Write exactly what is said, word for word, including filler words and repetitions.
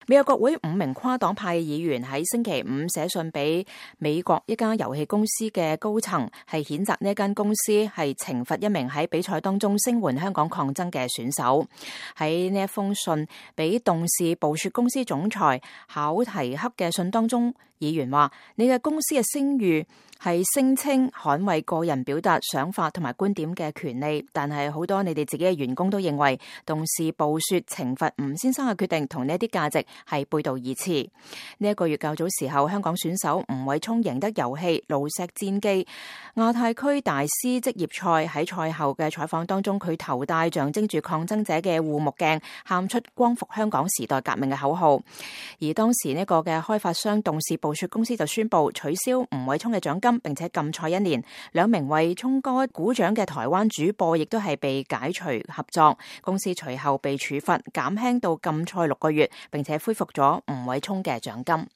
美國國會五名跨黨派議員喺星期五寫信俾美國一家遊戲公司嘅高層，係譴責呢間公司係懲罰一名喺比賽當中聲援香港抗爭嘅選手。喺呢一封信俾動視暴雪公司總裁考提克嘅信當中，議員話：你嘅公司嘅聲譽係聲稱捍衛個人表達想法同埋觀點嘅權利，但係好多你哋自己嘅員工都認為動視暴雪懲罰吳先生嘅決定同呢一啲價值係背道而馳。呢一個月較早時候，香港選手吳偉聰贏得遊戲《爐石戰記》亞太區大師職業賽，喺賽後嘅採訪當中，佢頭戴象徵住抗爭者嘅護目鏡，喊出光復香港時代革命嘅口號。而當時呢個嘅開發商動視暴雪公司就宣布取消吳偉聰嘅獎金，並且禁賽一年。兩名為聰哥鼓掌嘅台灣主播亦都係被解除合作，公司隨後被處罰減輕到禁賽六個月，並且恢復咗吳偉聰嘅獎金。